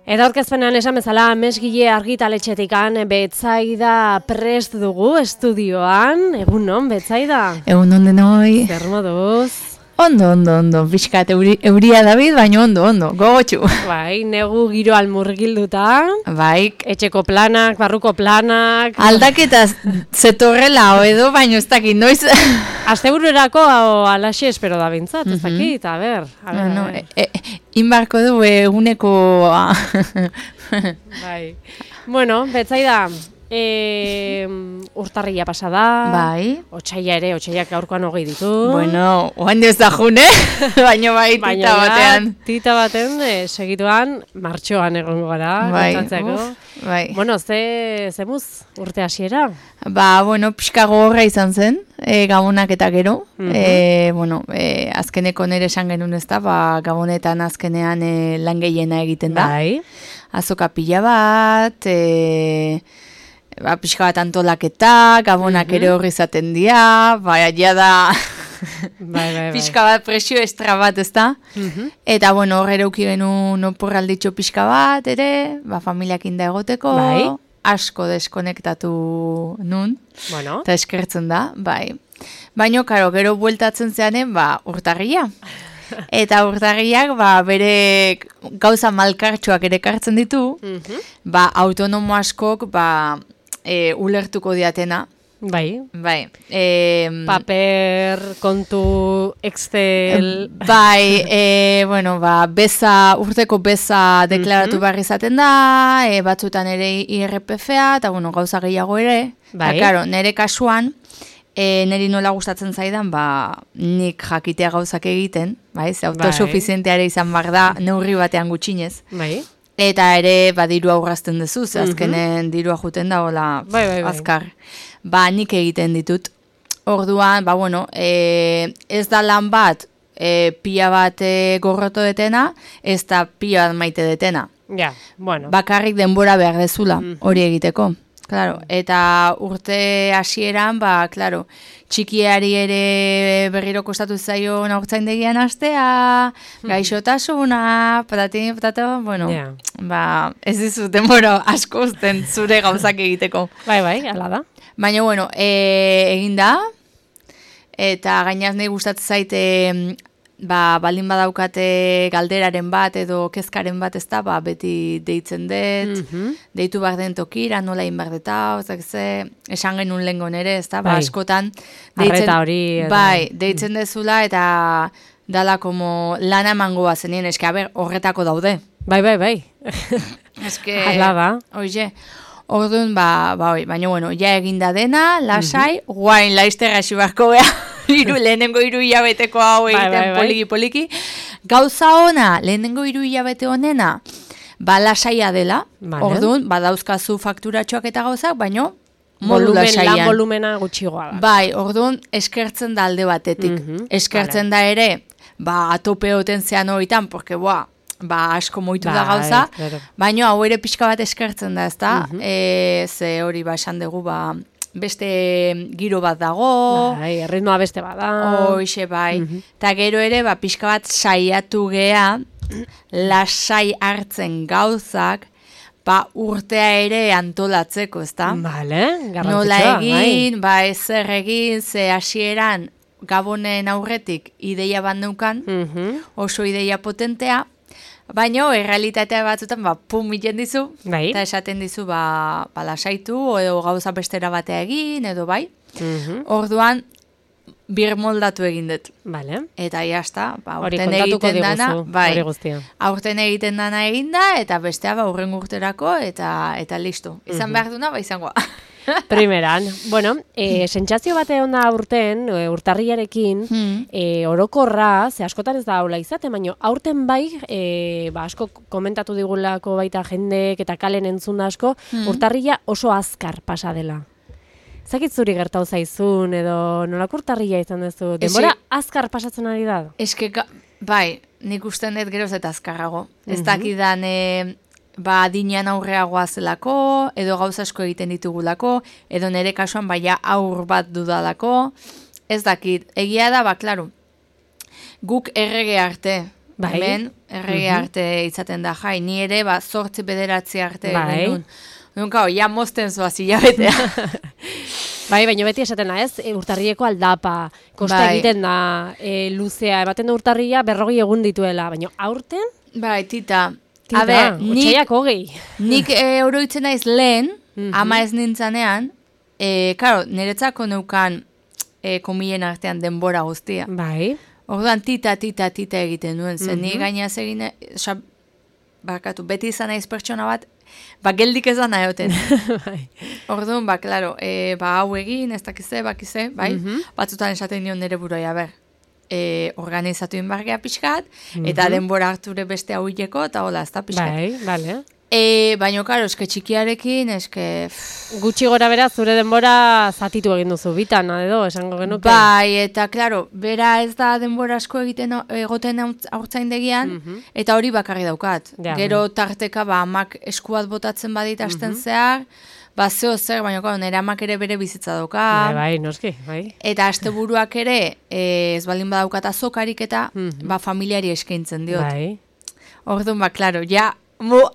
Eta aurkezpenean esan bezala, Mesgile argitaletxetikan Betsaida prest dugu estudioan. Egunon, Betsaida? Egunon denoi. Zer moduz? Ondo. Pixkat euria David, baina ondo, gogotxu. Bai, negu giro almurgilduta. Bai. Etxeko planak, barruko planak. Aldaketa zetorrela edo, baina ez dakit, noiz. Astebururako alaxe espero da bintzat, ez dakit, a ber. Bueno, inbarko du eguneko. Bai. Bueno, Betsaida, urtarria pasada. Bai. Otsaiak gaurkoan 20 ditu. Bueno, oan ez da june, baina bai tita batean. Tita baten, segituan, martxoan egongo gara. Bai, bai. Bueno, zemuz urte hasiera? Ba, bueno, pixka gogorra izan zen, gabonak eta gero. Azkeneko nire esan genuen ez da, gabonetan azkenean lan gehiena egiten da. Bai. Azoka pila bat, pixka bat antolaketa, gabonak ere horri izaten dira, ja da bai. Pixka bat presio estra bat, ez da? Eta, bueno, hor ere uki genuen oporralditxo pixka bat, ere, familiak inda egoteko, asko deskonektatu nun, eta eskertzen da, bai. Baina, karo, gero bueltatzen zeanen, urtarria. Eta urtarriak, bere gauza malkartxoak ere kartzen ditu, autonomo askok, ulertuko diatena. Bai. Paper, kontu, Excel. Bai, urteko beza deklaratu behar izaten da, batzutan ere IRPF-a, eta gauza gehiago ere. Bai. Eta, karo, nire kasuan, niri nola gustatzen zaidan, nik jakitea gauzak egiten, autosuficienteare izan behar da, neurri batean gutxinez. Bai. Eta ere, diru aurrazten duzu, azkenen dirua juten da, azkar. Nik egiten ditut. Orduan, ez da lan bat, pila bat gorroto detena, ez da pila bat maite detena. Ja, bueno. Bakarrik denbora behar dezula, hori egiteko. Claro, eta urte hasieran, txikiari ere berriro kostatu zaio haurtzaindegian hastea, gaixotasuna, patato, ez dizut denbora asko uzten zure gauzak egiteko. Bai, hala da. Baina, egin da, eta gainaz nahi gustatzen zaite, baldin badaukate galderaren bat edo kezkaren bat ez da, beti deitzen dut, deitu behar den tokira, nola egin behar deta, esan genuen lehenko nere, ez da, askotan, deitzen dezula eta dala como lana emango bazenien, eske, horretako daude. Bai. Eske, hala da. Oie, orduan, baina, ja eginda dena, lasai, guain laizterra xibarko beha. Lehenengo 3 hilabeteko hau egiten poliki. Gauza ona, lehenengo 3 hilabete honena, lasaia dela, orduan, dauzkazu fakturatxoak eta gauzak, baina modu lasaian. Lan volumena gutxigoa da. Bai, orduan, eskertzen da alde batetik. Eskertzen da ere, atope hoten zean horietan, porque, asko moitu da gauza, baina hau ere pixka bat eskertzen da, ez da? Ze hori, esan dugu, beste giro bat dago. Bai, erritmoa beste bat da. Hoxe, bai. Eta gero ere, pixka bat saiatu gea, lasai hartzen gauzak, urtea ere antolatzeko, ez da? Bale, garrantzitsua. Nola egin, ezer egin, ze hasieran gabonen aurretik ideia bat neukan, oso ideia potentea, baina, errealitatea batzutan, pum iten dizu, eta esaten dizu, lasaitu, edo gauza bestera batea egin, edo bai. Orduan, birmoldatu egin dut. Vale. Eta jazta, hori kontatuko diguzu, hori guztia. Aurten egiten dana eginda, eta bestea, urren urterako, eta listo. Izan behar duna, izangoa. Primeran. Bueno, sentsazio bate onda urten, urtarriarekin, orokorra, ze askotan ez da haula izate, baina aurten bai, asko komentatu digulako baita jendek eta kalen entzun asko, urtarria oso azkar pasa dela. Zakit zuri gertau zaizun, edo nolako urtarria izan duzu? Denbora azkar pasatzen ari da? Eske, bai, nik usten dut geroz eta azkarrago. Ez dakidan, adinean aurreagoa zelako, edo gauza asko egiten ditugulako, edo nire kasuan aur bat dudalako, ez dakit. Egia da, klaro, guk errege arte, Hemen, errege arte izaten da, jai, ni ere, 8-9 arte genuen. Nunca, ja mozten zoaz hilabetea. Bai, baina beti esatena ez, urtarrileko aldapa, kosta egiten da, luzea, ematen da urtarria 40 egun dituela, baina aurten? Bai, tita. A ber, otxaiak 20. Nik oroitzen naiz lehen, ama ez nintzanean, karo, niretzako neukan komilen artean denbora guztia. Bai. Orduan tita egiten duen, zen ni gainaz egin, barkatu, beti izan naiz pertsona bat, geldik ezan nahioten. Orduan, klaro, hau egin, ez dakize, bakize, bai? Batzutan esaten nion nire buroi, organizatu inbargea pixkat, eta denbora harture beste hau hileko, eta hola, ez da pixkat. Bai, bale. Baina, karo, eske txikiarekin, Gutxi gora bera, zure denbora zatitu egin duzu, bitan, edo, esango genuke? Bai, eta, klaro, bera ez da denbora asko egoten haurtzaindegian, eta hori bakarri daukat. Gero tarteka, amak eskuat botatzen badit hasten zehar, zeo zer, baina nire amak ere bere bizitza dauka. Bai, noski, bai. Eta asteburuak ere, ez baldin badaukat azokarik eta, familiari eskaintzen diot. Bai. Orduan, klaro,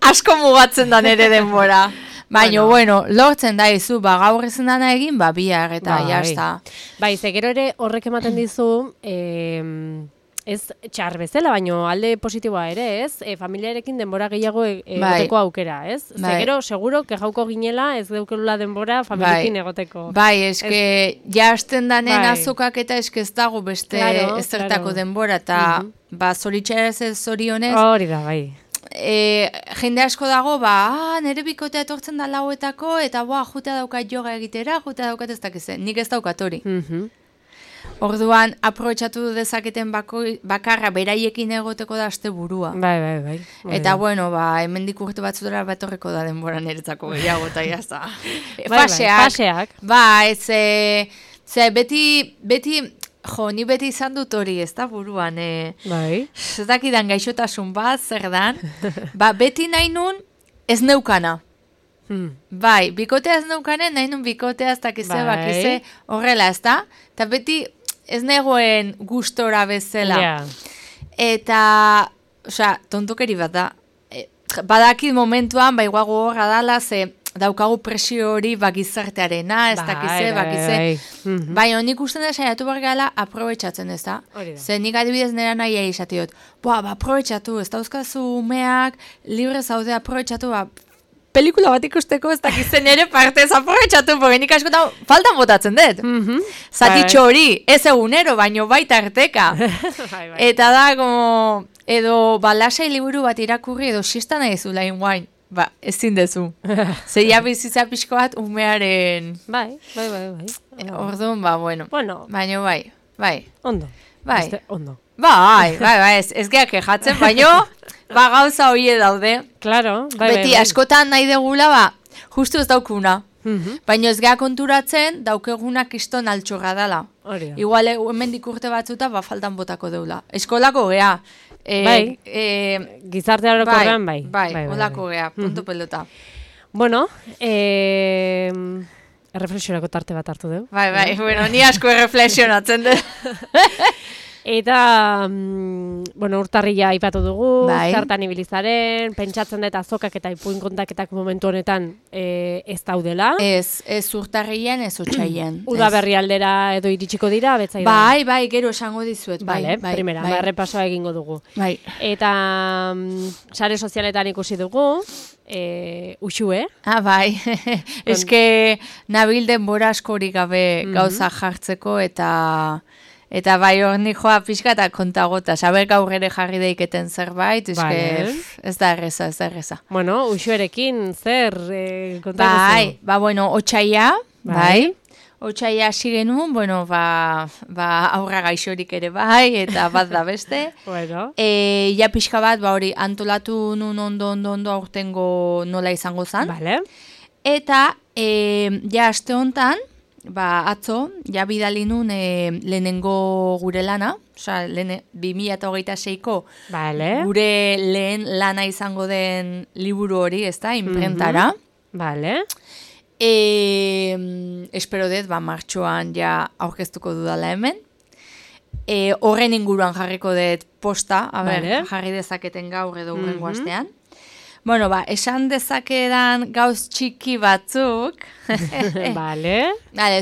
asko mugatzen da nire denbora. Baina, bueno, lortzen da izu, gaur ezin dana egin, bihar eta jazta. Bai, gero ere horrek ematen dizu, ez txar bezala, baina alde positiboa ere, ez? Familiarekin denbora gehiago egoteko aukera, ez? Gero, seguro, kejauko ginela, ez deukelula denbora familiekin egoteko. Bai, eske, jazten danen azokak eta eske ez dago beste ezertako denbora, eta zoritxarez ez zorionez. Hori da, bai. Jende asko dago, nire bikotea etortzen da lauetako, eta jutea daukat yoga egitera, jutea daukat ez dakizen. Nik ez daukat hori. Orduan, aprobetxatu dezaketen bakarra beraiekin egoteko da asteburua. Bai. Eta, bueno, hemendik urte batzutera batorreko da denbora niretzako gehiago, eta jazta. Faseak. Beti... ni beti izan dut hori, ez da buruan, ez dakidan gaixotasun bat, zer dan, beti nahi nun ez neukana. Bai, bikotea ez neukanen, nahi nun bikotea ez dakize, bakize, horrela, ez da? Eta beti ez negoen gustora bezala. Eta, tontokeri bat da, badakit momentuan, igual gogorra dala, daukagu presio hori gizartearena, ez dakize, bakize. Baina nik usten da saiatu behar gala aprobetxatzen, ez da? Zer nik adibidez nera nahi izatiot. Aprobetxatu, ez dauzkazu umeak, libre zaude aprobetxatu, pelikula bat ikusteko ez dakizen ere partez aprobetxatu, porque nik askotan faltan botatzen dut. Zatitxo hori, ez egunero, baino baita arteka. Eta da, edo lasai liburu bat irakurri, edo xista nahi zula inguain. Ezin dezu. Zeia bizitza pixko bat umearen... Bai. Orduan, bueno. Baina bai. Ondo. Bai. Ondo. Bai, ez geak kejatzen, baina gauza hoie daude. Claro. Beti, askotan nahi degula, justu ez daukuna. Baina ez geak konturatzen, daukeguna kiston altxorra dela. Igual, hemendik urte batzuta, faltan botako deula. Eskolako gea. Gizarte orokorrean bai. Bai, olako gea, punto pelota. Bueno, erreflexiorako tarte bat hartu dugu. Bai, bueno, ni asko erreflexionatzen dut. Eta, urtarria aipatu dugu, zertan ibilizaren, pentsatzen dut azokak eta ipuin kontaketak momentu honetan ez daudela. Ez urtarrian, ez otxaian. Uda berri aldera edo iritsiko dira, betzai da? Bai, gero esango dizuet. Primera, errepasoa egingo dugu. Bai. Eta, sare sozialetan ikusi dugu, Uxue. Bai. Eske, nabil denbora askorik gabe gauza jartzeko eta bai hor joa pixka eta kontagota. Saber gaur ere jarri daiketen zerbait, ez da erreza. Bueno, Uxuerekin zer kontaguzu? Bai, otxaia, bai. Otxaia hasi genuen, aurra gaixorik ere bai, eta bat da beste. Ja pixka bat, hori antolatu nun ondo aurtengo nola izango zan. Eta, ja aste hontan, atzo, ja bidali nun lehenengo gure lana, 2026ko gure lehen lana izango den liburu hori, ez da, imprentara. Espero dut, martxoan ja aurkeztuko dudala hemen. horren inguruan jarriko dut posta, jarri dezaketen gaur edo hurrengo astean. Bueno, esan dezakedan gauz txiki batzuk. Vale.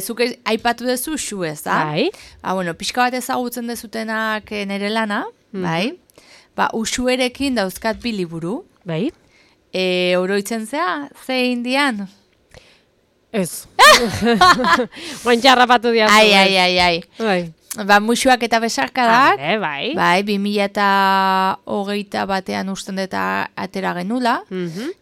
Zuk aipatu dezu uxu ez, da? Bai. Bueno, pixka bat ezagutzen dezutenak nere lana, bai. Uxuerekin dauzkat 2 liburu. Bai. Oroitzen zea, ze indian? Ez. Guantxarrapatu diazu. Ai. Musuak eta besarkadak, bai. 2021 usten deta atera genula,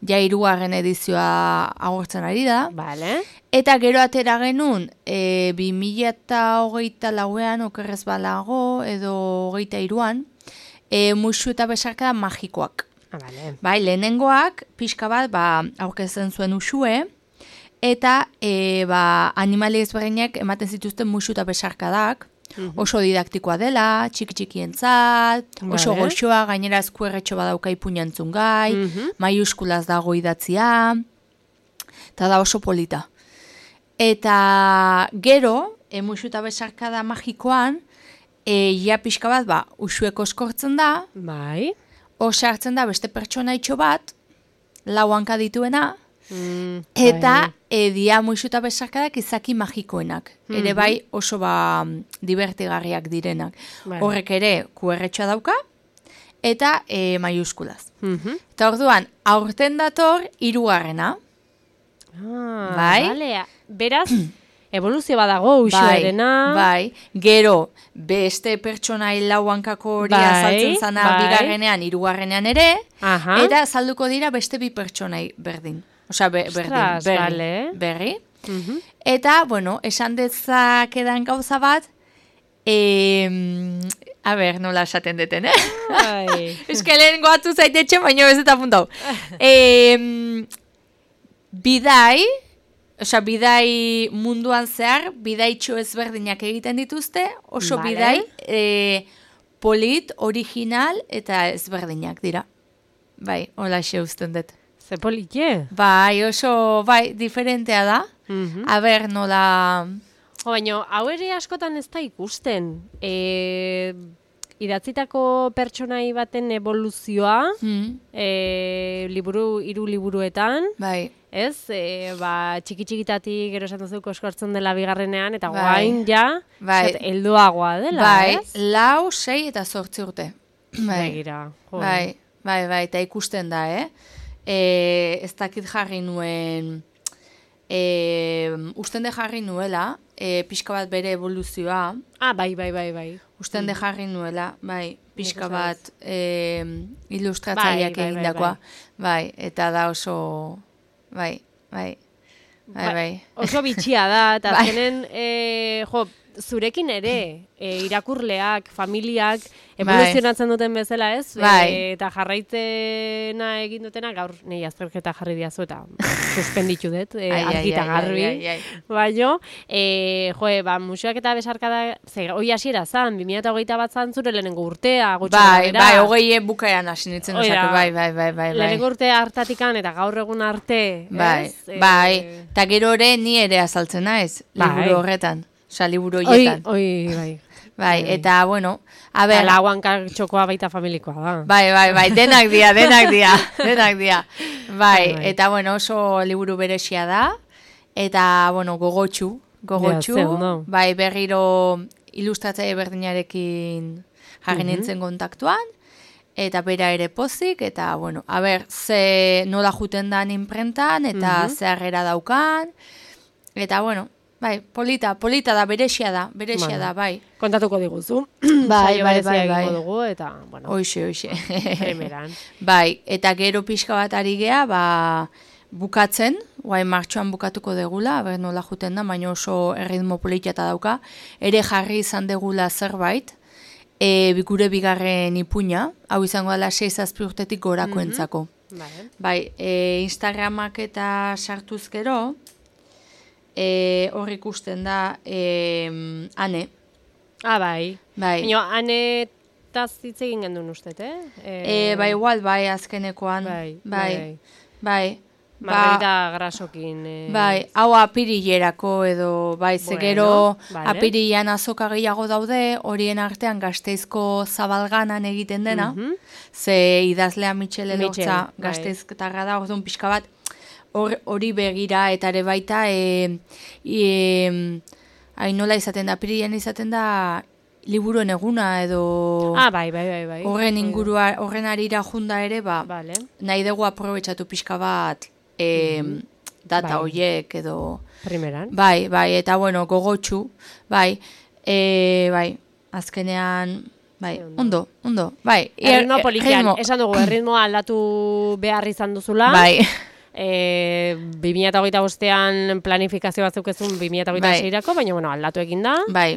ja 3. edizioa agortzen ari da. Vale. Eta gero atera genuen 2024an okerrez balago, edo 23an, musu eta besarkada magikoak. Vale. Bai, lehenengoak, pixka bat, aurkezen zuen usue, eta animali ezberdinak ematen zituzten musu eta besarkadak, oso didaktikoa dela, txiki-txikientzat, oso goxoa, gainera eskuerretxo badauka ipuñantzun gai, maiuskulaz dago idatzia, eta da oso polita. Eta gero, musu eta besarkada magikoan, ja pixka bat, usueko eskortzen da, bai. Osartzen da beste pertsonaitxo bat, 4 hanka dituena, eta dia musu eta besarkadak izaki magikoenak. Ere bai oso divertigarriak direnak. Horrek ere kuerretxoa dauka, eta maiuskulaz. Eta orduan, aurten dator 3. Bai? Beraz, evoluzio badago usuerena. Bai, gero, beste pertsonai 4 hankako hori azaltzen zana 2. 3. ere, eta azalduko dira beste 2 pertsonai berdin. Osea, berri. Eta, bueno, esan dezakedan gauza bat, a ber, nola esaten deten, Eskelen goatu zaitetxe, baina ez eta puntau. Bidai munduan zehar, bidaitxo ezberdinak egiten dituzte, oso bidai polit, original eta ezberdinak dira. Bai, hola xe usten dut. Ze politxe? Bai, oso, diferentea da. A ber, nola... Baina, hau ere askotan ez da ikusten. Idatzitako pertsonai baten evoluzioa, 3 liburuetan, bai. Ez, txiki-txikitatik gero esan duzuko eskortzen dela 2. eta guain ja, helduagoa dela, ez? Bai, 4, 6 eta 8 urte. Begira. Bai, eta ikusten da, ez dakit jarri nuen, usten de jarri nuela, pixka bat bere evoluzioa. Bai. Usten de jarri nuela, pixka bat ilustratzaileak egindakoa. Bai, eta da oso... Bai. Oso bitxia da, eta azkenen, zurekin ere, irakurleak, familiak, evoluzionatzen duten bezala ez, eta jarraitzena egin dutena, gaur nahi azterketa jarri diazu eta suspenditu dut, argita garbi. Baina, musuak eta besarkada, hoi hasiera zan, 2021 zan zure lehenengo urtea, gutxi gara. Hogei bukaeran hasi nintzen duzak, bai. Lehenengo urte hartatikan eta gaur egun arte, ez? Eta gero ere ni ere azaltzen naiz, liburu horretan. Osa, liburu horietan. Bai, eta, bueno, a ber... Lauanka txokoa baita familikoa da. Bai, denak dia. Bai, eta, bueno, oso liburu beresia da. Eta, bueno, gogotxu. Bai, berriro ilustratzaile berdinarekin jarri nintzen kontaktuan. Eta bera ere pozik, eta, bueno, a ber, ze nola juten dan imprentan, eta ze harrera daukan. Eta, bueno... Bai, polita da, beresia da, bai. Kontatuko diguzu. Bai. Dugu, eta, bueno. Hoxe. Primeran. Bai, eta gero pixka bat ari gea, bukatzen, guain martxoan bukatuko degula, nola juten da, baina oso erritmo polita dauka, ere jarri izan degula zerbait, gure 2. ipuña, hau izango dela 6-7 urtetik gorako entzako. Bai, Instagramak eta sartuz gero, hor ikusten da Ane. Bai. Baina Ane hitz egin gendun ustet, igual, azkenekoan. Bai. Margarita grasokin. Bai, hau apirilerako edo, bai, zegero apirilean azoka gehiago daude, horien artean Gasteizko Zabalganan egiten dena, ze idazlea Michel Elortza Gasteiztarra da, orduan pixka bat, hori begira eta ere baita, nola izaten da, apirilean izaten da, liburuen eguna edo bai. Horren ingurua, horren arira junda ere, nahi dugu aprobetxatu pixka bat data horiek edo primeran. Bai, eta bueno, gogotxu, bai, azkenean, ondo, bai. Erritmo polikian, esan dugu, erritmoa aldatu behar izan duzula. Bai. 2025an planifikazio batzuk ezun 2026erako, baina bueno, aldatu egin da. Bai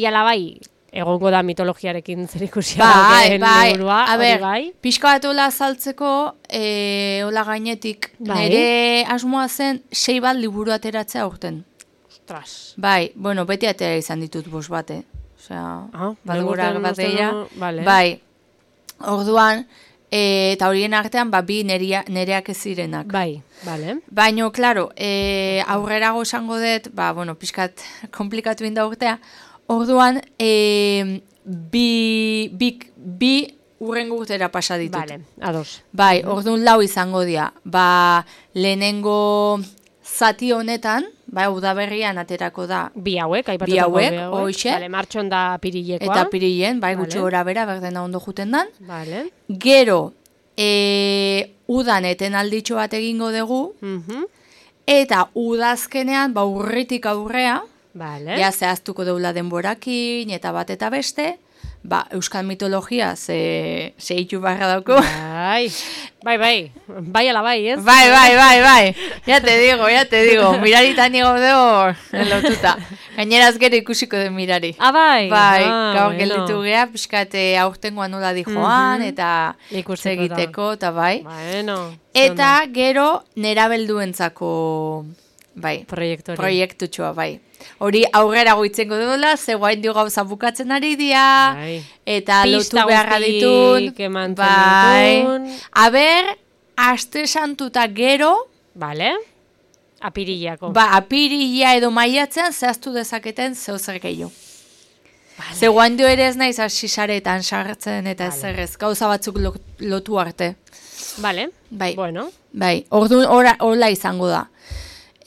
ala bai, egongo da mitologiarekin zerikusia dagoen liburua. A ber, pixka bat hola azaltzeko, hola gainetik, nire asmoa zen 6 bat liburu ateratzea aurten. Ostras. Bai, bueno, beti atera izan ditut 5 bat, Osea, balgura bat eia. Bai, orduan, eta horien artean, bi nereak ez zirenak. Bai, bale. Baina, klaro, aurrerago esango dut, bueno, pixkat komplikatu inda urtea, orduan, bi urrengo urtera pasa ditut. Bale, ados. Bai, orduan 4 izango dira. Lehenengo zati honetan, udaberrian aterako da. Bi hauek, bi hauek, hoxe. Bale, martxon da apirilekoa. Eta apirilen, gutxi gora bera, berdena ondo juten dan. Bale. Gero, udan eten alditxo bat egingo dugu, eta udazkenean, urritik aurrea, ja zehaztuko deula denborakin, eta bat eta beste, euskal mitologia ze hitu barra dauko. Bai ala bai, ez? Bai. Ya te digo, miraritan nigo deo lotuta. Gaineraz gero ikusiko den mirari. Bai. Gaur gelditu gea, pixkate aurtengoa nola di joan, eta segiteko, eta bai. Eta gero nerabelduentzako proiektutxoa, bai. Hori aurrera goitzengo duela, ze guain dio gauza bukatzen ari dia, eta lotu beharra ditun. Aber, aste santuta gero, apirillako. Apirilla edo maiatzean zehaztu dezaketen zeo zer gehiago. Ze guain dio ere ez naiz asisaretan sartzen eta ezerrez, gauza batzuk lotu arte. Bueno. Orduan hola izango da.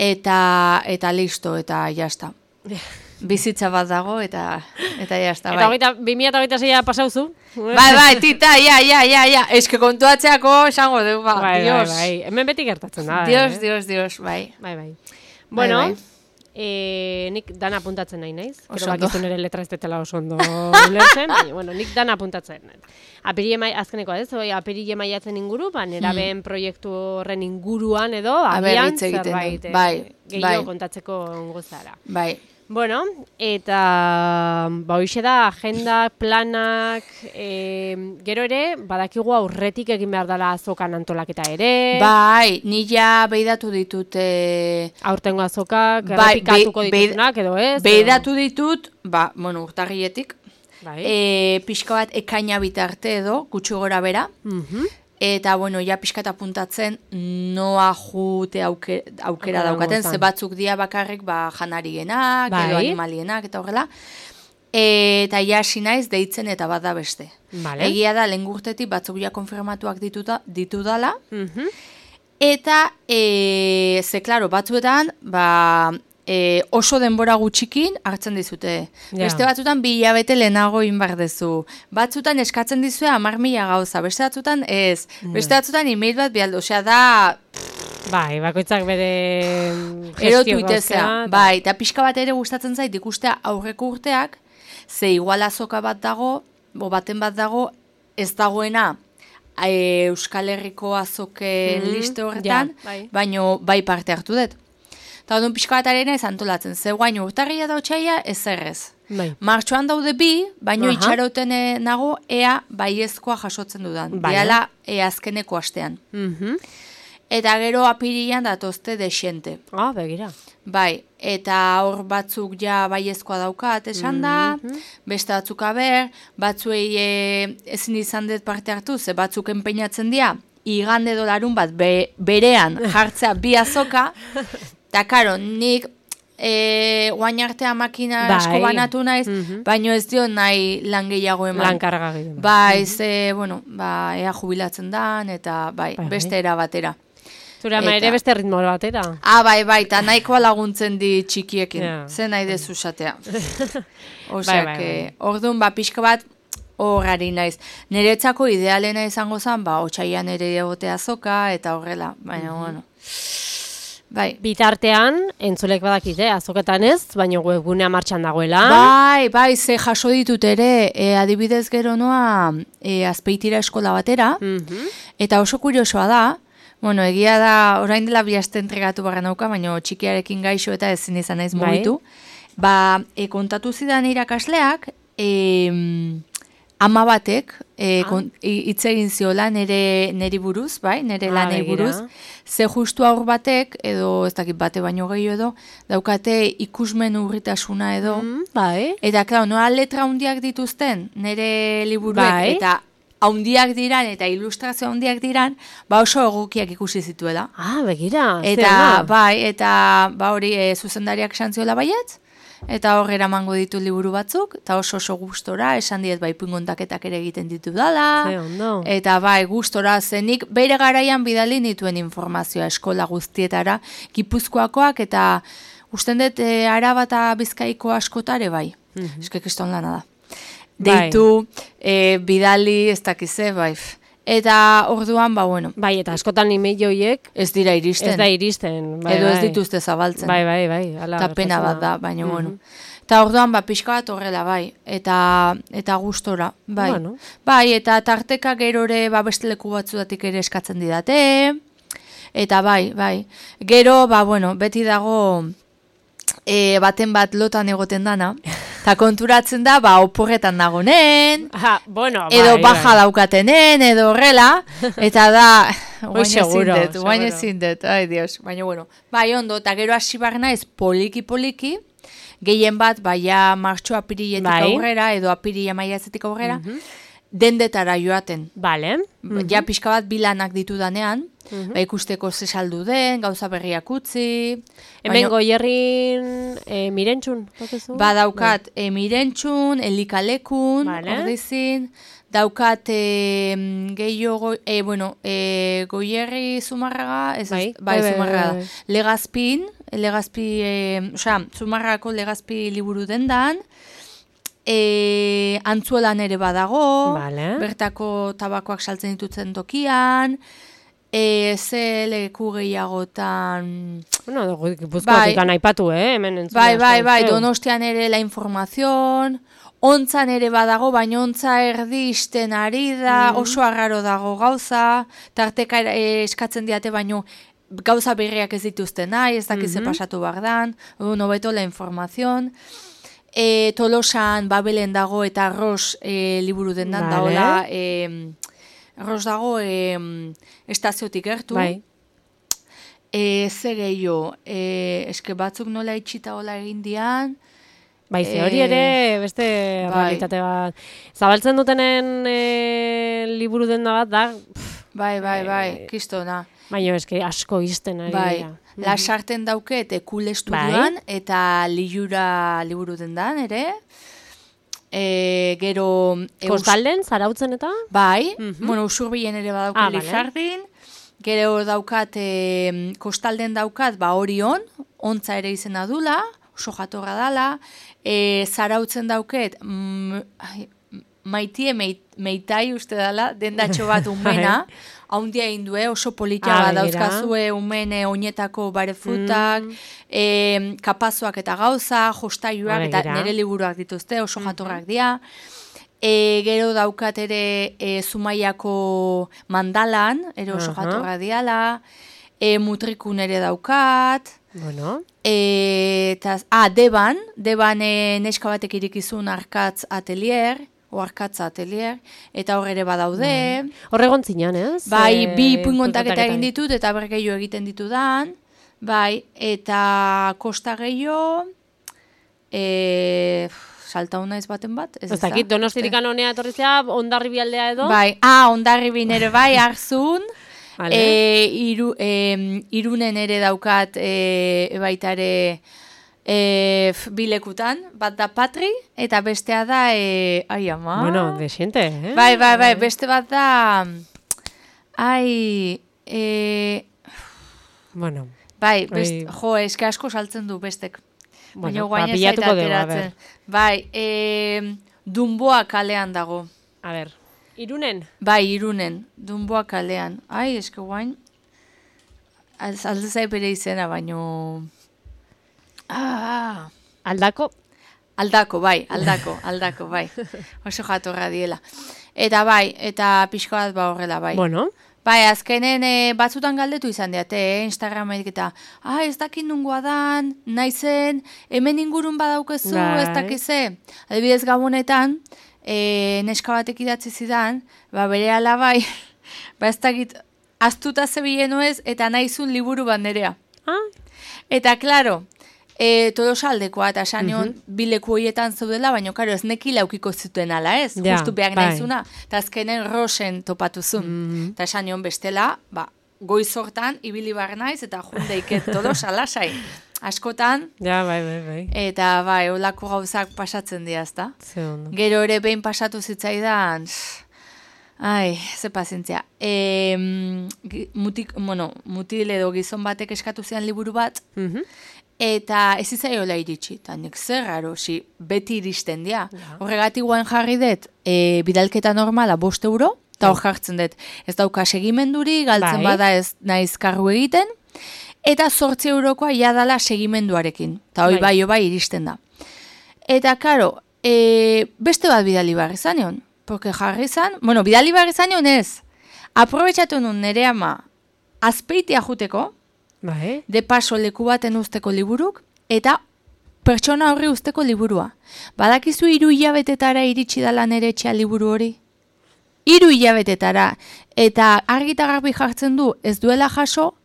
Eta listo, eta jazta. Bizitza bat dago, eta jazta, bai. Eta 2026 pasauzu? Bai, tita, ja. Eske kontuatzeako esango dugu, Dios. Bai. Hemen beti gertatzen da. Dios, bai. Bueno, nik dana apuntatzen nahi naiz. Gero bakizu nire letra ez detela oso ondo ulertzen. Nik dana apuntatzen. Azkeneko ez, apirille maiatzen inguru, nerabeen proiektu horren inguruan edo, agian zerbait gehiago kontatzeko gozara. Bai. Bueno, eta hoxe da, agenda, planak, gero ere, badakigu aurretik egin behar dela azokan antolaketa ere. Bai, nila beidatu ditut. Aurtengo azokak, errepikatuko ditutunak edo ez? Beidatu ditut, urtarrietik. Pixka bat ekaina bitarte edo, gutxi gora bera. Eta, ja pixka eta puntatzen noa jute aukera daukaten, ze batzuk dia bakarrik janarienak, edo animalienak, eta horrela. Eta hasi naiz deitzen eta bat da beste. Egia da, lehen gurtetik batzuk ja konfirmatuak ditu dala. Eta, ze, klaro, batzuetan, oso denbora gutxikin hartzen dizute. Beste batzutan 2 hilabete lehenago inbardezu. Batzutan eskatzen dizue 10.000 gauza. Beste batzutan ez. Beste batzutan email bat bialdo. Osea da... Bai, bakoitzak bere gestio gauzea. Bai, eta pixka bat ere gustatzen zait ikustea aurreko urteak, ze igual azoka bat dago, baten bat dago, ez dagoena Euskal Herriko azoken liste horretan, baino bai parte hartu dut. Eta odun pixka bat arena ez antolatzen, ze guain urtarria da otxaila ezerrez. Martxoan daude 2, baino itxaroten nago ea baiezkoa jasotzen dudan. Diala azkeneko astean. eta gero apirilan datozte desente. Begira. Bai, eta hor batzuk ja baiezkoa daukat esan da, beste batzuk batzuei ezin izan dut parte hartu, ze batzuk enpeinatzen dira, igande dolarun bat berean jartzea bi azoka, eta karo, nik guain artea makina asko banatu naiz, baino ez dio nahi lan gehiago eman. Lan karga gehiago. Bai, ea jubilatzen dan, eta beste era batera. Zura ere beste ritmo batera. Bai, eta nahikoa laguntzen di txikiekin. Zer nahi dezu esatea. Oseak, orduan, pixka bat horrari naiz. Niretzako idealena izango zen, otsaian ere egotea azoka, eta horrela. Baina, bueno. Bai. Bitartean, entzulek badakite, azoketan ez, baina webgunea martxan dagoela. Bai, ze jaso ditut ere, adibidez gero noa Azpeitira eskola batera, eta oso kuriosoa da, bueno, egia da, orain dela bihazte entregatu barra nauka, baina txikiarekin gaixo eta ezin izan naiz mugitu. Kontatu zidan irakasleak, ama batek, hitz egin ziola neri buruz, nere lanei buruz, ze justu aur batek, edo ez dakit bate baino gehiago edo, daukate ikusmen urritasuna edo, eta klar, noa letra handiak dituzten, nere liburuek, eta haundiak diran eta ilustrazio haundiak diran, oso egokiak ikusi zituela. Begira. Eta hori zuzendariak esan ziola baietz, eta hor eramango ditu liburu batzuk, eta oso gustora, esan diet ipuinkontaketak ere egiten ditu dala, eta gustora zenik bere garaian bidali nituen informazioa eskola guztietara, Gipuzkoakoak, eta usten dut Araba eta Bizkaiko askotare eskek iston lana da. Deitu, bidali, ez dakize, Eta orduan, bueno. Eta askotan email joiek ez dira iristen. Ez da iristen. Edo ez dituzte zabaltzen. Bai. Eta pena bat da, baina, bueno. Eta orduan, pixka bat horrela, Eta gustora, Bueno. Eta tarteka gerore, beste leku batzudatik ere eskatzen didate. Eta Gero, bueno, beti dago baten bat lotan egoten dana. Eta konturatzen da, oporretan dagonen, edo baja daukatenen, edo horrela, eta da, guain ezin dut, ai dios, baina bueno. Ondo, eta gero hasi barna ez poliki, gehien bat, ja martxo apiriletik aurrera, edo apirila maiatzetik aurrera, dendetara joaten. Ja pixka bat bilanak ditu danean, ikusteko ze saldu den, gauza berriak utzi. Hemen Goierrin Mirentxun? Daukat Mirentxun, Elikalekun, ordizin, daukat gehiago, Goierri Zumarraga, Zumarraga, Legazpin, Zumarragako Legazpi liburu dendan, Antzuelan ere badago, bertako tabakoak saltzen ditutzen tokian, ze leku gehiagotan... Gipuzkoatik aipatu, hemen entzule. Donostian ere la informazion, ontzan ere badago, baina ontza erdisten ari da, oso arraro dago gauza, tarteka eskatzen diate, baina gauza berriak ez dituzten nahi, ez dakize pasatu bardan, nobeto la informazion... Tolosan Babelen dago eta Arroz liburu dendan daola, Arroz dago estaziotik gertu. Ze gehiago, eske batzuk nola itxita hola egin dian. Ze hori ere beste realitate bat. Zabaltzen dutenen liburu denda bat da. Kistona. Baina eske asko izten ari dira. Lasarten dauket Ekul Estudioan eta Lilura liburu dendan ere. Gero... Kostalden, Zarautzen eta? Usurbilen ere badauket Lizardin. Gero daukat, Kostalden daukat, Orion, ontza ere izena dula, oso jatorra dala. Zarautzen dauket, Maitie Meitai uste dala, dendatxo bat umena, haundia indue, oso politia bat dauzkazue umene oinetako bare frutak, kapazoak eta gauza, jostaiuak eta nire liburuak dituzte, oso jatorrak dira. Gero daukat ere Zumaiako Mandalan, ere oso jatorrak diala, Mutrikun ere daukat, Deban neska batek irikizun Arkatz Atelier, Oarkatza atelier, eta hor ere badaude. Horregon zinan, ez? Bai, 2 puingontaketa egin ditut, eta bergeio egiten ditudan. Bai, eta kosta gehiago, salta hona ez baten bat. Ez dakit, Donostirikan honea etorrizea, Hondarribi aldea edo? Bai, Hondarribi nere bai, Arzun. Irunen ere daukat baita ere bilekutan, bat da Patri, eta bestea da, ai ama. Bueno, desiente, eh? Bai, beste bat da, bueno. Bai, eske asko saltzen du bestek. Bueno, pilatuko dugu, a ber. Bai, Dunboa kalean dago. A ber, Irunen? Bai, Irunen, Dunboa kalean. Ai, eske guain, alde zai bere izena, baino... Aldako? Aldako, bai. Oso jatorra diela. Eta bai, eta pixko bat horrela, bai. Bueno. Bai, azkenen batzutan galdetu izan diate, Instagramek eta, ez dakit nungoa dan, naizen, hemen ingurun badaukezu, ez dakize. Adibidez gabonetan, neska batek idatzi zidan, bere alabai, ez dakit, astuta zebilen nuez, eta naizun liburu bat nerea. Eta, klaro, Tolosaldekoa, eta sanion bileku horietan zaudela, baina, karo, ez neki laukiko zuten ala, ez? Justu behar naizuna, eta azkenen Rosen topatuzun. Eta sanion bestela, goizortan, ibili bar naiz, eta jundeiket Tolosalasai. Askotan, bai. Eta bai, olako gauzak pasatzen dira, ezta? Gero ere behin pasatu zitzaidan, ze pazientzia. Mutil edo gizon batek eskatu zian liburu bat, eta ez izaiola iritsi, eta nik zer raro, beti iristen dira. Horregatik guain jarri dut, bidalketa normala 5 euro, eta hor jartzen dut, ez dauka segimenduri, galtzen bada ez naiz karru egiten, eta 8 eurokoa jadala segimenduarekin, eta hoi bai iristen da. Eta, karo, beste bat bidali barri zaneon, porque jarri zan, bidali barri zaneon ez, aprobetxatu nun nere ama azpeitia juteko, de paso leku baten usteko liburuk, eta pertsona horri usteko liburua. Badakizu 3 hilabetetara iritsi dala nere etxea liburu hori? 3 hilabetetara, eta argita garbi jartzen du, ez duela jaso,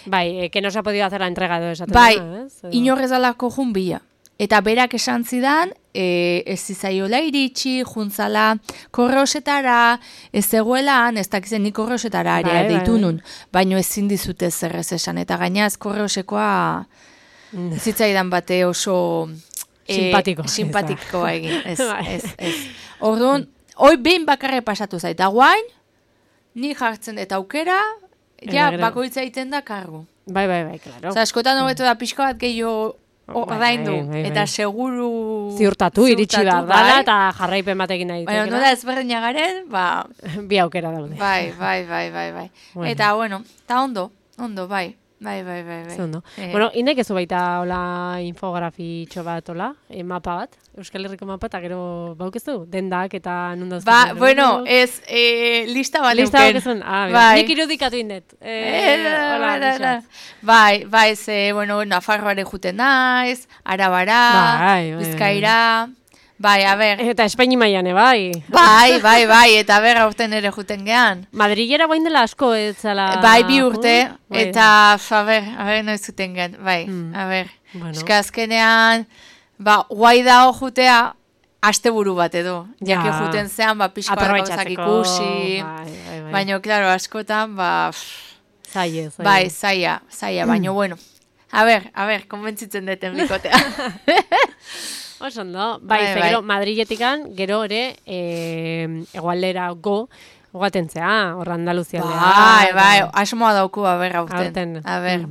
bai, que no se ha podido hacer la entrega de esa bai, inorrez alako jun bila. Eta berak esan zidan, ez zizaiola iritsi, juntzala korrosetara, ez zegoelan, ez dakizen ni korrosetara area deitu nun, baino ezin dizute zerrez esan, eta gainaz korrosekoa zitzaidan bate oso simpatikoa egin, ez. Orduan, hoi behin bakarre pasatu zait, eta guain, ni jartzen eta aukera, bakoitza egiten da kargu. Bai, klaro. Askotan hobeto da pixko bat gehiago ordaindu, eta seguru... Ziurtatu, iritsi behar dala, eta jarraipen batekin nahi. Baina, nola ezberdina garen, bi aukera daude. Bai. Eta, bueno, eta ondo, bai. Bueno, inek ez baita hola infografitxo bat, hola, mapa bat, Euskal Herriko mapa, eta gero baukezu, dendak eta nundauzko. Bueno, ez, lista bat lista baukezun, nik irudikatu indet. Bai, ze, bueno, Nafarroare juten naiz, Arabara, Bizkaira... Bai, a ber. Eta Espaini maiane, bai. Bai, eta ber aurten ere juten gehan. Madrilera guain dela asko, etzala... Bai, 2 urte, eta, a ber, noiz juten gehan, bai, a ber. Eska azkenean, guai dao jutea, asteburu bat edo. Jaki juten zean, pixko gauzak ikusi. Baina, klaro, askotan, zaila. Bai, zaila, baina, bueno. A ber, konbentzitzen deten bikotea. Oso ondo, gero Madriletikan, gero ere egualdera goatentzea, hor Andaluzia. Bai, asmoa dauku, aurten.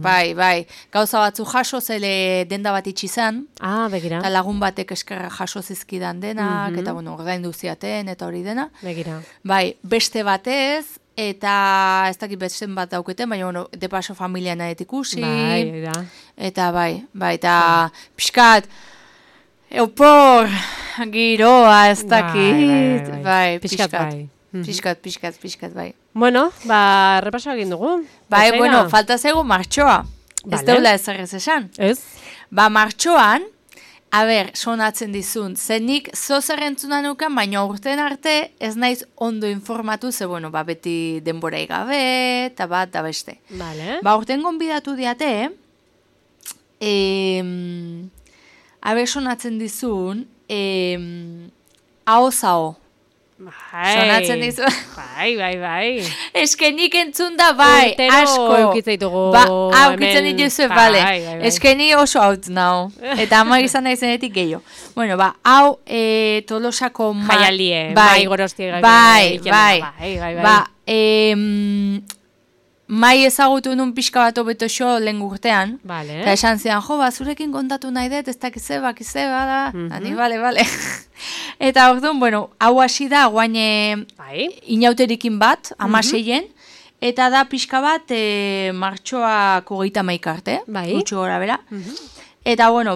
Bai. Gauza batzu jaso, zele denda bat itxizan. Begira. Eta lagun batek eskerra jaso zizkidan denak, eta ordaindu ziaten, eta hori dena. Begira. Bai, beste batez, eta ez dakit betzen bat dauketen, baina, de paso familia nahet ikusi. Bai, eta eta pixkat, Eupor, giroa, ez dakit. Bai, pixkat, bai. Bueno, repaso egin dugu. Bai, bueno, falta zego martxoa. Ez deula ez esan. Ez? Martxoan, sonatzen dizun. Zenik zozer entzuna nukan, baina urten arte ez naiz ondo informatu, ze bueno, beti denborai gabe, eta bat, da beste. Vale. Urten gonbidatu diate, sonatzen dizun, hau-zao. Sonatzen dizu. Bai. Eskenik entzun da, bai, asko. Eukitzaitugu. Eukitzen dituzu, bale. Eskeni oso haut nao. Eta ama izan nahi zenetik gehiago. Bueno, hau Tolosako jaialie, mai gorostia. Bai. Mai ezagutu nun pixka bat hobeto xo lehen urtean. Vale. Eta esan zidan, zurekin kontatu nahi dut, ez dakize, da. Ani, bale. Eta orduan, bueno, hau hasi da, guain inauterikin bat, 16-en, eta da pixka bat martxoak 31 arte, gutxi gora bera. Eta, bueno,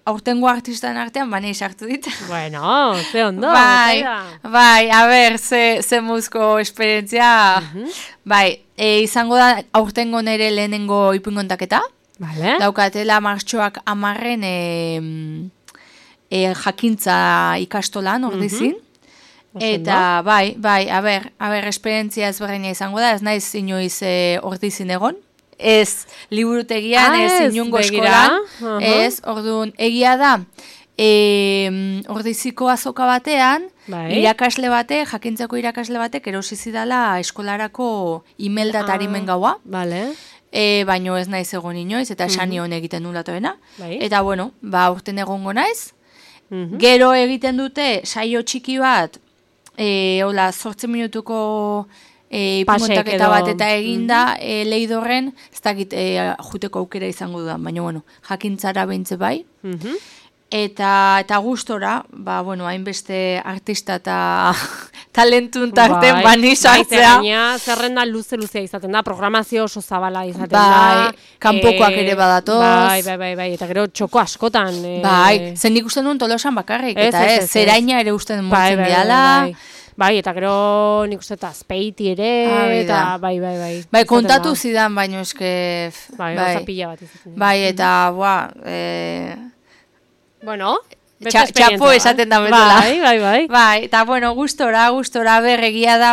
aurtengo artistan artean, nahi sartu dit. Bueno, ze ondo. Bai, a ber, ze muzko esperientzia. Bai, izango da aurtengo nere lehenengo ipuinkontaketa. Vale. Daukatela martxoak 10-en jakintza ikastolan ordizin. Eta, bai, a ber, esperientzia ezberdina izango da, ez naiz inoiz ordizin egon. Ez liburutegian, ez inungo eskolan, ez, orduan, egia da, ordiziko azoka batean, irakasle batek, jakintzako irakasle batek, erosizidala eskolarako imelda eta harimen gaua, baino ez naiz egon inoiz, eta esani hon egiten nulatoena, eta bueno, urten egongo naiz, gero egiten dute saio txiki bat, 8 minutuko ipumontaketa bat eta eginda Leidorren, ez dakit juteko aukera izango dudan, baina bueno, jakintzara behintze bai. Eta gustora, hainbeste artista eta talentun tarten bani sartzea. Zerrenda luze-luzea izaten da, programazio oso zabala izaten da. Kanpokoak ere badatoz. Bai, eta gero txoko askotan. Bai, zen nik uste duen Tolosan bakarrik, eta zeraina ere uste duen motzen diala. Bai, eta gero nik uste eta azpeiti ere, eta bai. Bai, kontatu zidan, baino eske... Bai, gauza pila bat izaten. Bai, eta, bueno, beste esperientzia. Txapo esaten da betela. Bai. Bai, eta, bueno, gustora berregia da,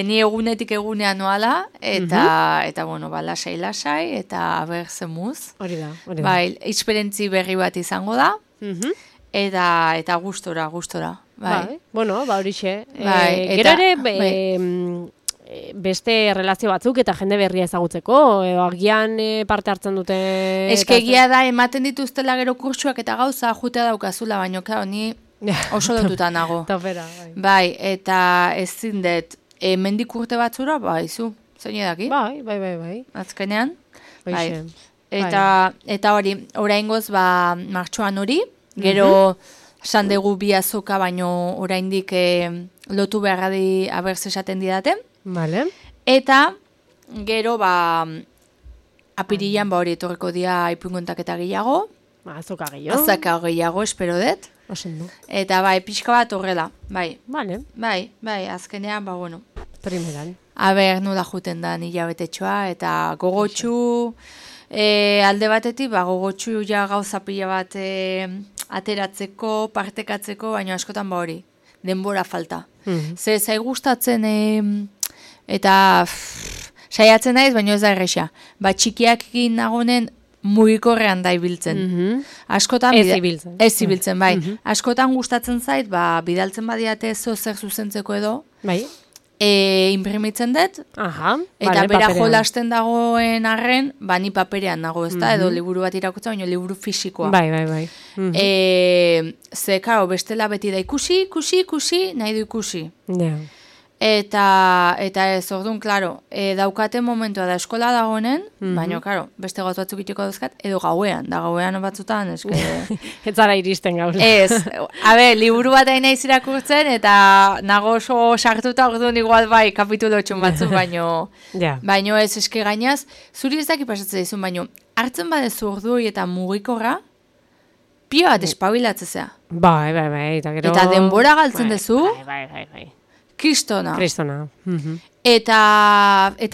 ni egunetik egunean noala, eta, bueno, lasai, eta ber zemuz. Hori da. Bai, esperientzi berri bat izango da, eta gustora. Bai. Bueno, horixe. Gero ere, beste relazio batzuk eta jende berria ezagutzeko, agian parte hartzen dute... Eskegia da, ematen dituztela gero kurtsuak eta gauza jutea daukazula, baino, ni oso lotuta nago. Topera, bai, eta ez zindet, mendik urte batzura, zu, zein edaki? Bai. Azkenean, bai. Eta hori, oraingoz, martxoan hori, gero... Esan dugu bi azoka, baino oraindik lotu beharradi abertz esaten didaten. Vale. Eta gero apirilan hori etorreko dia ipuinkontaketa gehiago. Azoka gehiago. Azoka gehiago, espero dut. Osendu. Eta pixka bat horrela, bai. Vale. Bai, azkenean, bueno. Primeran. Nola juten da nila betetxoa, eta gogotxu, alde batetik, gogotxu gauza pila bat... ateratzeko, partekatzeko, baina askotan hori, denbora falta. Ze zai gustatzen eta saiatzen naiz, baina ez da erresa. Txikiakin nagonen mugikorrean da ibiltzen. Askotan ez ibiltzen, bai. Askotan gustatzen zait, bidaltzen badiate zer zuzentzeko edo. Bai. Imprimitzen dut, eta bera jolasten dagoen arren, ni paperean nago, ez da, edo liburu bat irakurtza, baina liburu fisikoa. Bai. Ze, karo, bestela beti da ikusi, nahi du ikusi. Ja. Eta ez, orduan, klaro, daukaten momentua da eskola dagoenen, baina, klaro, beste gauz batzuk itiko dauzkat, edo gauean, da gauean batzutan, eske... Ez zara iristen gauz. Ez, liburu bat nahi irakurtzen, eta nago oso sartuta orduan igual kapitulo txon batzuk, baino ez eske gainaz, zuri ez daki pasatzen dizun, baino, hartzen badezu ordui eta mugikorra, pio bat espabilatzea. Bai, eta denbora galtzen dezu, Bai. Kristona. Eta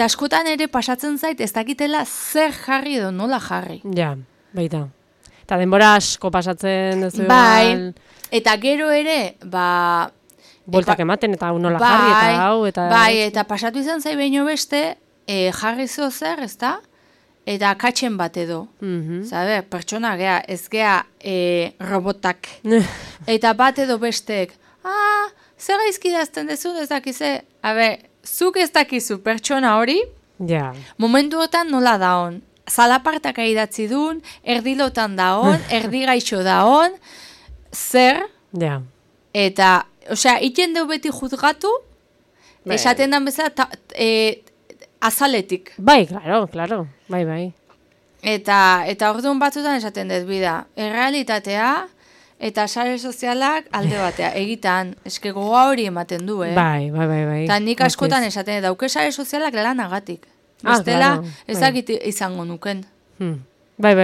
askotan ere pasatzen zait ez dakitela zer jarri edo nola jarri. Ja, baita. Eta denbora asko pasatzen duzu. Bai, eta gero ere, Bueltak ematen eta nola jarri eta hau. Bai, eta pasatu izan zai behin beste, jarri zo zer, ezta? Eta katzen bat edo. Zabe, pertsona gea, ez gea robotak. Eta bat edo bestek, zer gaizki dazten dezun ez dakize? Zuk ez dakizu pertsona hori, momentuotan nola daon. Zalapartak idatzi duen, erdilotan daon, erdi gaixo daon, zer? Eta, osea, iten deu beti juzgatu, esaten dan bezala, azaletik. Bai, claro, bai. Eta orduan batzutan esaten dut bida, errealitatea eta sare sozialak alde batea, egitan, eske gogoa hori ematen du, Bai. Eta nik askotan esaten dut, dauke sare sozialak lanagatik. Bestela, ezakit izango nuken. Bai.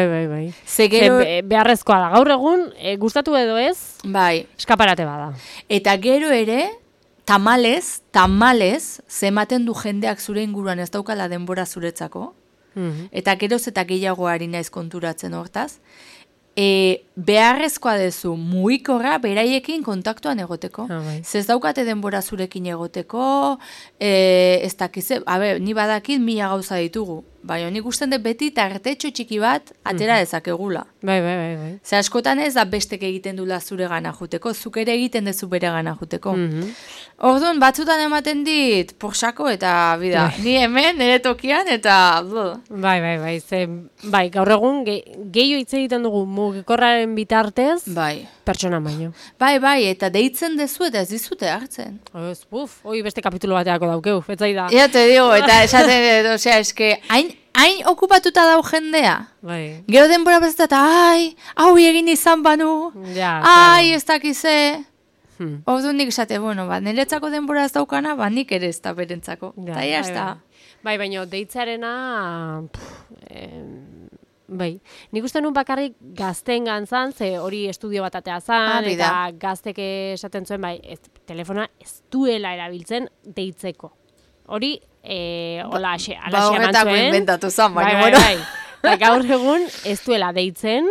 Beharrezkoa da, gaur egun, gustatu edo ez, eskaparate bada. Eta gero ere, tamalez, zematen du jendeak zure inguruan ez daukala denbora zuretzako, eta geroz eta gehiago ari naiz konturatzen hortaz, beharrezkoa dezu mugikorra beraiekin kontaktuan egoteko. Zez daukate denbora zurekin egoteko, ez dakize, ni badakit 1000 gauza ditugu, baina nik usten dut beti tartetxo txiki bat atera dezakegula. Bai. Ze askotan ez da bestek egiten dula zure gana juteko, zuk ere egiten dezu bere gana juteko. Orduan, batzutan ematen dit, porsako eta bida, ni hemen, nire tokian, eta... Bai, gaur egun, gehiago hitz egiten dugu mugikorraren bitartez, pertsona baino. Bai, eta deitzen dezu eta ez dizute hartzen. Hoi beste kapitulo bateako daukeu, etzai da. Ja, te digo, eta esaten, osea, eske, hain okupatuta dau jendea. Gero denbora bezat, hau egin izan banu, ez dakize... Ordu nik esate, niretzako denbora ez daukana, nik ere ez da berentzako. Eta jazta. Bai, baina deitzarena... Nik uste nun bakarrik gazten gantzan, ze hori estudio bat atea zan, eta gaztek esaten zuen, telefona ez duela erabiltzen deitzeko. Hori, hola ase eman zuen. Horretako inventatu zan, baina. Gaur egun ez duela deitzen,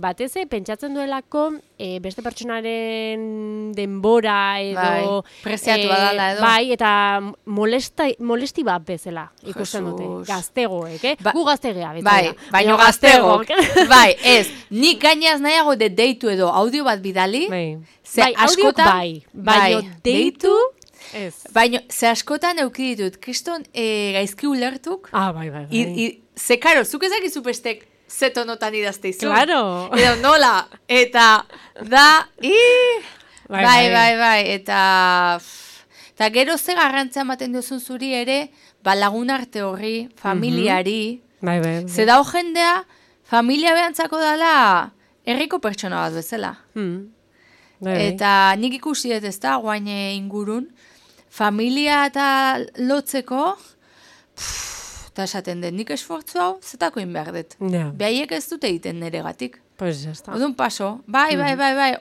batez pentsatzen duelako beste pertsonaren denbora edo... Preziatu badala edo. Eta molesti bat bezala ikusten dute. Gaztegoek, gu gaztegea bezala. Baina gaztegoek. Ez, nik gainaz nahiago deitu edo audio bat bidali. Audiok baina deitu... Baina, ze askotan euki ditut, kriston gaizki ulertuk. Bai. Ze, karo, zuk ezakizu bestek zetonotan idazte izun. Claro. Edo nola, eta da, bai, eta gero ze garrantzea ematen duzun zuri ere, lagunarte horri, familiari. Ze dao jendea, familia behantzako dala, herriko pertsona bat bezala. Eta nik ikusi dut ez da, guain ingurun, familia eta lotzeko, eta esaten den, nik esfortzu hau, zetako inbehar dut. Behaiek ez dute egiten neregatik. Odun paso, bai,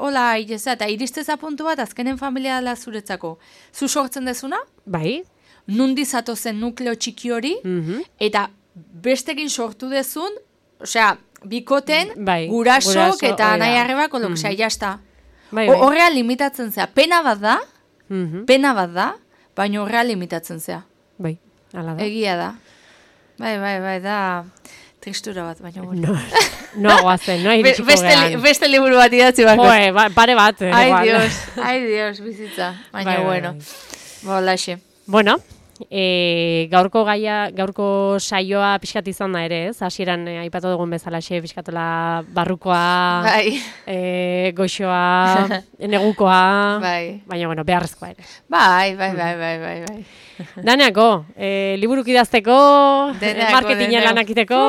hola, ireza, eta iristeza puntu bat, azkenen familia dela zuretzako. Zu sortzen dezuna? Bai. Nundi zatozen nukleo txiki hori, eta bestekin sortu dezun, osea, bikoten, gurasok eta nahi arrebak, osea, jazta. Horrea limitatzen zea, pena bat da, baina horrea limitatzen zea. Bai, ala da. Egia da. Bai, da tristura bat, baina bueno. No aguazen, no iritsiko gehan. Beste liburu bat idatzi bako. Pare bat. Ai Dios, bizitza. Baina bueno. Bolaxe. Bueno, gaurko saioa pixkat izan da ere, ez? Hasieran aipatu dugun bezalaxe pixkatola barrukoa, goxoa, negukoa, baina bueno, beharrezkoa ere. Bai. Daneako, liburuk idazteko, marketinga lanakiteko,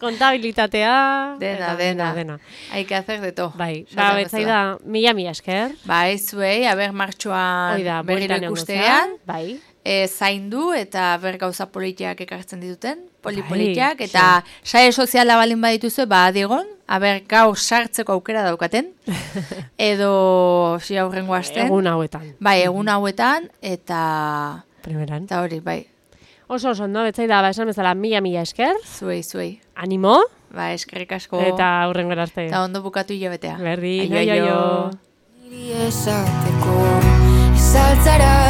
kontabilitatea, dena. Hay que hacer de todo. Bai, betzai da, mila esker. Bai, zuei, martxoan berriro ikustean. Bai. Zaindu eta gauza politiak ekartzen dituten, polipolitiak, eta sare soziala balin badituzu, digon, gaur sartzeko aukera daukaten, edo aurrengo asten. Egun hauetan. Bai, egun hauetan, eta... Primeran. Eta hori, bai. Oso, no, betzai da, esan bezala, mila esker. Zuei. Animo. Ba, eskerrik asko. Eta hurrengora arte. Eta ondo bukatu hilabetea. Berdin, aio. Niri esateko, ez altzara